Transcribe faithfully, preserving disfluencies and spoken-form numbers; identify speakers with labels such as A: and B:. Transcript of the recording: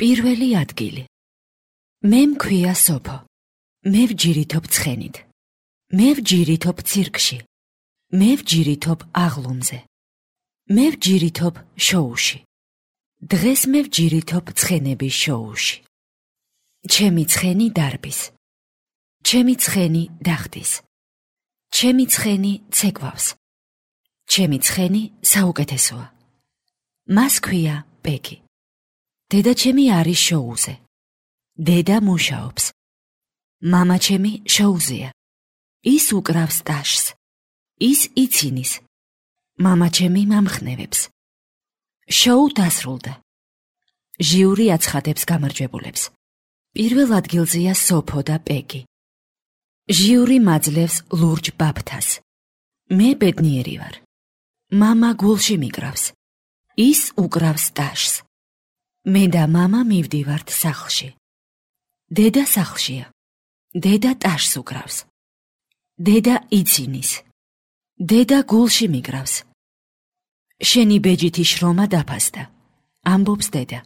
A: პირველი ადგილი. მე მქვია სოფო. მე ვჯირითობ ცხენით. მე ვჯირითობ ცირკში. მე ვჯირითობ აღლუმზე. მე ვჯირითობ შოუში. დღეს მე ვჯირითობ ცხენების შოუში. ჩემი ცხენი დარბის. ჩემი ცხენი დახტის. ჩემი ცხენი ცეკვავს. ჩემი ცხენი საუკეთესოა. მას ქვია პეგი. დედა ჩემი არის შოუზე. დედა მუშაობს. მამა ჩემი შოუზეა. ის უკრავს ტაშს. ის იცინის. მამა ჩემი მამხნევებს. შოუ დასრულდა. ჟიური აცხადებს გამარჯვებულებს. პირველ ადგილზეა სოფო და პეგი. ჟიური მაძლევს ლურჯ ბაფთას. მე ბედნიერი ვარ. მამა გულში მიკრავს. ის უკრავს ტაშს. მე და მამა მივდივართ სახლში. დედა სახლშია. დედა ტაშს უკრავს. დედა იცინის. დედა გულში მიკრავს. შენი ბეჯითი შრომა დაფასდა. ამბობს დედა.